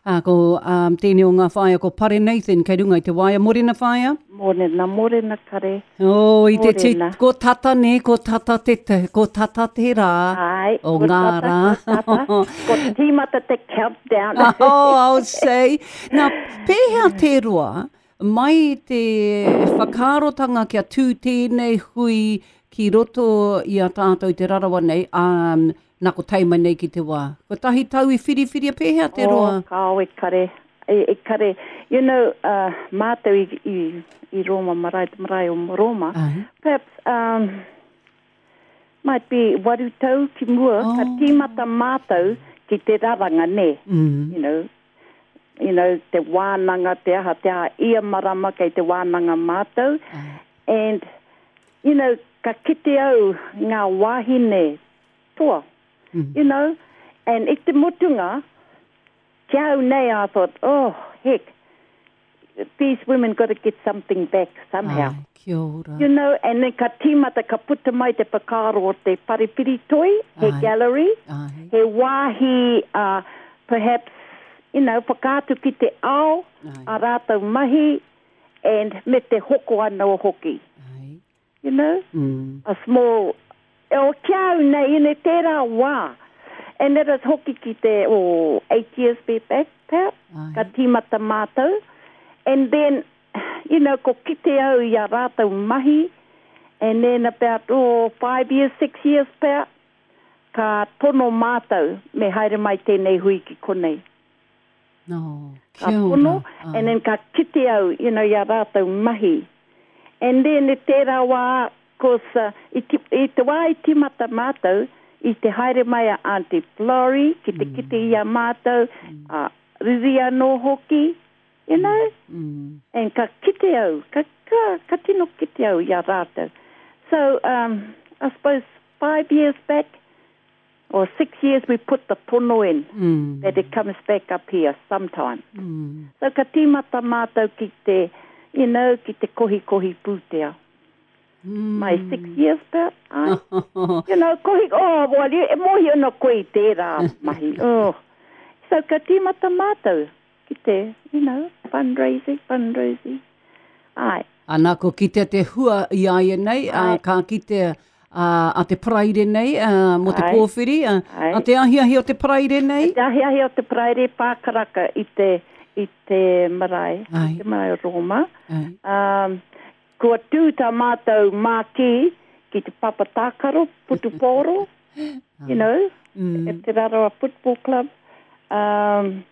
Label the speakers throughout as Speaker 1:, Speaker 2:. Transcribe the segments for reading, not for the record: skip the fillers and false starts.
Speaker 1: Ā, ko um, tēnei o ngā whaea ko Pare Nathan kei runga i te waea. Morena whaea.
Speaker 2: Morena, morena kare.
Speaker 1: Oh, i te ti, ko tata ne, ko tata te, ko tata te rā.
Speaker 2: Ai,
Speaker 1: o ngā rā.
Speaker 2: Ko tata, ko tīmata te countdown.
Speaker 1: oh, I'll say. Nā, pēhea te roa, mai te whakaarotanga kia tū tēnei hui ki roto i a tātou Te Rarawa nei, ā, nā ko tae mai nei ki te wā. Kotahi tau i whiriwhiria pēhea te roa?
Speaker 2: Oh, kāo e kare, e, e kare, you know, uh, mātou i, i, i Rōma marae, te marae o Rōma,
Speaker 1: Ai.
Speaker 2: perhaps, um, might be waru tau ki mua, oh. ka tīmata mātou ki te raranga, nē,
Speaker 1: mm.
Speaker 2: you know, you know, te wānanga, te aha, te aha, ia marama kei te wānanga mātou.
Speaker 1: Ai.
Speaker 2: And, you know, ka kite au ngā wāhine toa,
Speaker 1: mm.
Speaker 2: you know, and i te mutunga, ki au nei, I thought, oh, heck, these women got to get something back somehow.
Speaker 1: Ai, kia ora.
Speaker 2: You know, and then ka tīmata, ka puta mai te whakaaro o te whare whiritoi, he
Speaker 1: Ai.
Speaker 2: gallery,
Speaker 1: Ai.
Speaker 2: he wāhi, uh, perhaps, you know, whakaatu ki te ao,
Speaker 1: Ai.
Speaker 2: a rātou mahi, and me te hoko anō hoki.
Speaker 1: Ai.
Speaker 2: You know?
Speaker 1: Mm.
Speaker 2: A small, o ki au nei, you know, tērā wā. And it is hoki ki te, oh, eight years be back, pea,
Speaker 1: Ai.
Speaker 2: ka tīmata mātou. And then, you know, ko kite au i a rātou mahi, and then about, oh, five years, six years pea, ka tono mātou me haere mai tēnei hui ki konei.
Speaker 1: No,
Speaker 2: Ka
Speaker 1: kia ora.
Speaker 2: pono,
Speaker 1: Ai.
Speaker 2: and then ka kite au, you know, i a rātou mahi. And then i tērā wā, course, uh, i, ti, i te wā i tīmata mātou, i te haere mai a Auntie Florrie ki te kite i a mātou, a Riri anō hoki, you know?
Speaker 1: Mm.
Speaker 2: And ka kite au, ka, ka, ka tino kite au i a rātou. So, um, I suppose five years back, or six years we put the tono in
Speaker 1: mm.
Speaker 2: that it comes back up here sometime.
Speaker 1: Mm.
Speaker 2: So ka tīmata mātou ki te, you know, ki te kohikohi pūtea.
Speaker 1: Mm.
Speaker 2: My six years pea, ai. you know, kohi, oh, well, e mohi ana koe i tērā mahi. Oh. So ka tīmata mātou ki te, you know, fundraising, fundraising. Ai.
Speaker 1: Ana, ko kitea te hua i a ia nei,
Speaker 2: Ai.
Speaker 1: a, ka kitea a, a te Paraire nei, a, mō te
Speaker 2: Ai.
Speaker 1: pōwhiri, a,
Speaker 2: Ai.
Speaker 1: a te ahiahi o te Paraire nei.
Speaker 2: Te ahiahi o te Paraire pākaraka i te, i te marae,
Speaker 1: Ai.
Speaker 2: i te marae o Rōma.
Speaker 1: Ai.
Speaker 2: Um, kua tū tā mātou mākī ki te papa tākaro, putupōro, you know,
Speaker 1: Mm.
Speaker 2: at Te Rarawa Football Club. Um,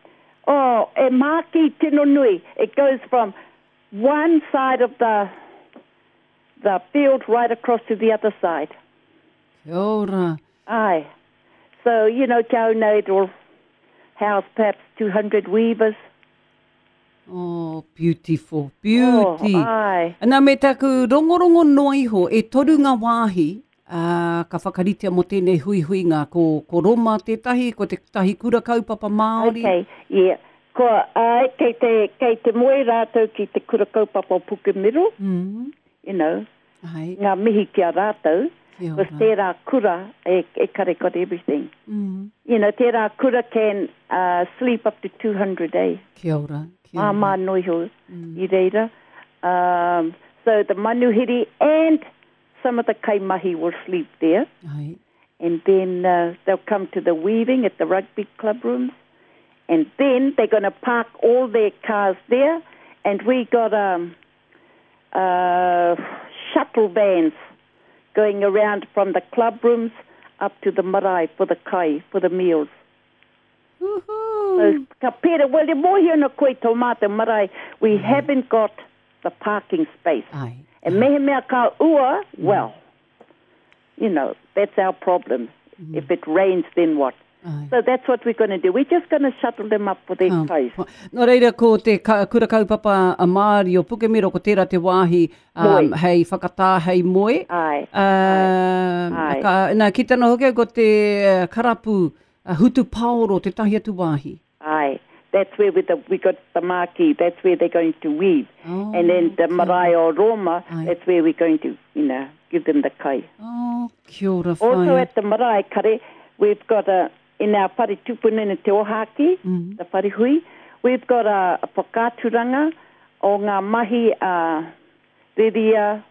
Speaker 2: oh, e mākī tino nui. It goes from one side of the, the field right across to the other side.
Speaker 1: Kia ora.
Speaker 2: Aye. So, you know, kia au nei, it will house perhaps 200 weavers.
Speaker 1: Oh, beautiful, beauty.
Speaker 2: Oh, aye.
Speaker 1: Nā, me taku rongorongo noa iho, e toru ngā wāhi ā, ka whakaritea mō tēnei huihuinga. Ko, ko Roma tētahi, ko tētahi kura kaupapa Māori.
Speaker 2: Okay, yeah. Ko, ai, kei te, kei te moe rātou ki te kura kaupapa o Pukemiro,
Speaker 1: Mm.
Speaker 2: you know,
Speaker 1: Ai,
Speaker 2: ngā mihi ki a rātou,
Speaker 1: kia
Speaker 2: because
Speaker 1: ora.
Speaker 2: tērā kura e, e kare got everything.
Speaker 1: Mm.
Speaker 2: You know, tērā kura can uh, sleep up to 200 eh?
Speaker 1: Kia ora, kia ora.
Speaker 2: Māmā noa iho i reira. Um, so the manuhiri and some of the kaimahi will sleep there.
Speaker 1: Ai.
Speaker 2: And then uh, they'll come to the weaving at the rugby club rooms. And then they're going to park all their cars there. And we got um, uh, shuttle vans going around from the club rooms up to the marae for the kai, for the meals.
Speaker 1: Woohoo.
Speaker 2: So, ka pera, well, e mōhio ana koe tō mātou marae, we haven't got the parking space.
Speaker 1: Ai.
Speaker 2: And mehemea ka ua, well, you know, that's our problem. If it rains, then what?
Speaker 1: Ai.
Speaker 2: So that's what we're going to do. We're just going to shuttle them up for their
Speaker 1: Ka
Speaker 2: kais.
Speaker 1: pa- Nō reira, ko te ka, kura kaupapa a Māori o Pukemiro, ko tērā te wāhi um,
Speaker 2: Moe.
Speaker 1: hei whakatā, hei moe.
Speaker 2: Ai.
Speaker 1: Uh,
Speaker 2: Ai.
Speaker 1: ka, nā, ki tana hoki au ko te eh, karapu uh, hutu paoro, te tahi atu wāhi.
Speaker 2: Aye. That's where we, the, we got the marquee. That's where they're going to weave.
Speaker 1: Oh,
Speaker 2: and then the marae o Roma,
Speaker 1: Aye.
Speaker 2: that's where we're going to, you know, give them the kai.
Speaker 1: Oh, kia ora
Speaker 2: Also
Speaker 1: whaea.
Speaker 2: at the marae kare, we've got a, in our whare tupuna in Te Ohaki,
Speaker 1: Mm.
Speaker 2: the whare hui, We've got a, a whakaaturanga o ngā mahi a Riria,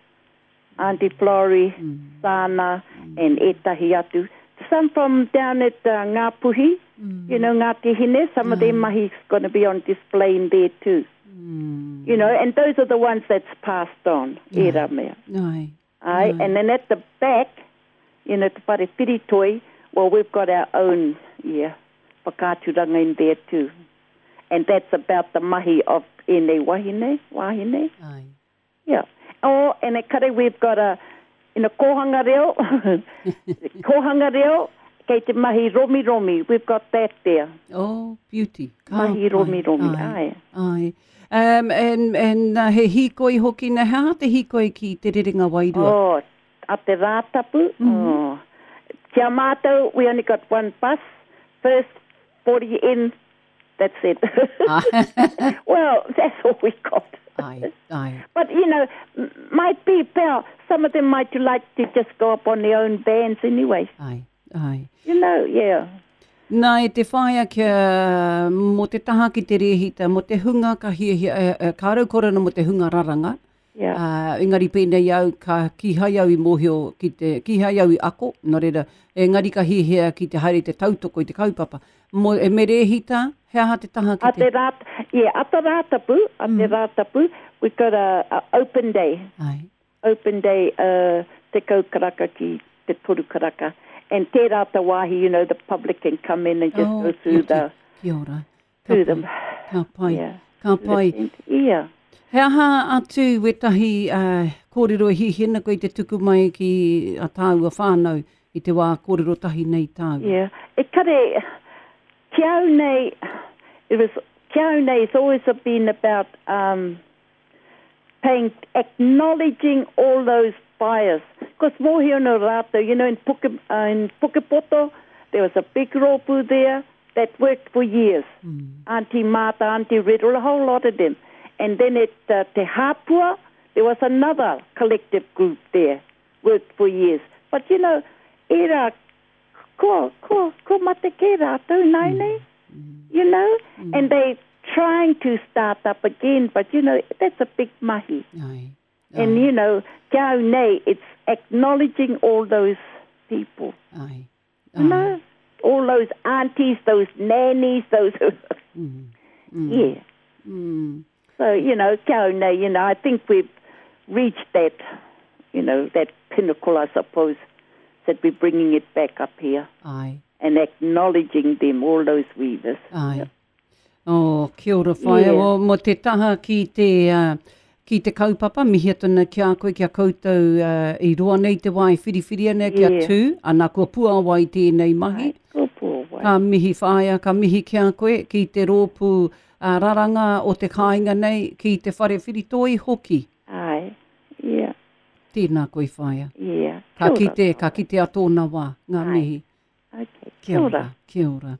Speaker 2: Auntie Florrie, mm. Sana, mm. and ētahi atu. Some from down at uh, Ngāpuhi, mm. you know, Ngāti Hine, some mm. of their mm. mahi's going to be on display in there too. Mm. You know, and those are the ones that's passed on, yeah. ērā mea.
Speaker 1: Ai.
Speaker 2: Ai, and then at the back, you know, te whare whiritoi, well, we've got our own, yeah, whakaaturanga in there too. And that's about the mahi of ēnei wahine, wahine.
Speaker 1: Ai.
Speaker 2: Yeah. Oh, and at Kare we've got a, in a kōhanga reo, kōhanga reo, kei te mahi romi romi, we've got that there.
Speaker 1: Oh, beauty.
Speaker 2: Ka mahi romi romi, ai.
Speaker 1: Ai. Um, and, and uh, he hīkoi hoki, na he aha te hīkoi ki te rerenga wairua?
Speaker 2: Oh, a te Rātapu. Mm -hmm. oh. Kia mātou, we only got one bus. First 40 in, that's it.
Speaker 1: Ah.
Speaker 2: well, that's all we got.
Speaker 1: Ai, ai.
Speaker 2: But, you know, might be, pal, some of them might like to just go up on their own vans anyway.
Speaker 1: Ai, ai.
Speaker 2: You know, yeah.
Speaker 1: Nā, e te whaea kia, mō te taha ki te rēhita, mō te hunga ka hiahia, e, e, ka rau korona mō te hunga raranga,
Speaker 2: yeah.
Speaker 1: uh, engari pēnei au, ka kīhai au i mōhio ki te, kīhai au i ako, nō reira, engari ka hiahia ki te haere i te tautoko i te kaupapa. Mō, e me rēhita, he aha te taha ki
Speaker 2: te... A te rā, yeah, a te Rātapu, a te mm. Rātapu, we've got a, a open day.
Speaker 1: Ai.
Speaker 2: Open day uh, tekau karaka ki te toru karaka. And tērā te wāhi, you know, the public can come in and just oh, go through the...
Speaker 1: Kia ora.
Speaker 2: Ka through them.
Speaker 1: Ka pai.
Speaker 2: Yeah.
Speaker 1: Ka pai.
Speaker 2: Yeah.
Speaker 1: He aha atu wētahi uh, kōrero e hiahia ana koe i te tuku mai ki a tāua whānau i te wā kōrero tahi nei tāua?
Speaker 2: Yeah. E kare, ki au nei, it was, ki au nei, it's always been about um, paying, acknowledging all those fires. Because mōhio no rātou, you know, in, Puke, uh, in Pukepoto, there was a big rōpū there that worked for years. Mm. Auntie Martha, Auntie Riddle, a whole lot of them. And then at uh, Te Hapua, there was another collective group there, worked for years. But, you know, era, ko, ko, ko mate ke rātou nei nei, mm. you know, mm. and they trying to start up again, but, you know, that's a big mahi.
Speaker 1: Aye.
Speaker 2: And, you know, kia au nei, it's acknowledging all those people.
Speaker 1: Aye.
Speaker 2: Aye. You know, all those aunties, those nannies, those...
Speaker 1: mm. Mm.
Speaker 2: Yeah.
Speaker 1: Mm.
Speaker 2: So, you know, kia au nei, you know, I think we've reached that, you know, that pinnacle, I suppose, that we're bringing it back up here.
Speaker 1: Aye.
Speaker 2: And acknowledging them, all those weavers.
Speaker 1: Aye. Yeah. Oh, kia ora whaea. Yeah. Oh, mo te taha ki te, uh, ki te kaupapa, mihi atu ana ki a koe, ki a koutou uh, i roa nei te wā e whiriwhiri ana kia yeah. tū, ana kua puāwai tēnei mahi.
Speaker 2: Ai, kua puāwai.
Speaker 1: Ka mihi whaea, ka mihi ki a koe, ki te rōpū uh, raranga o te kāinga nei, ki te whare whiritoi hoki.
Speaker 2: Ai, yeah.
Speaker 1: Tēnā koe whaea.
Speaker 2: Yeah.
Speaker 1: Ka kite, ka kite a tōna wā, ngā
Speaker 2: Ai.
Speaker 1: mihi.
Speaker 2: Okay.
Speaker 1: Kia ora. Kia ora.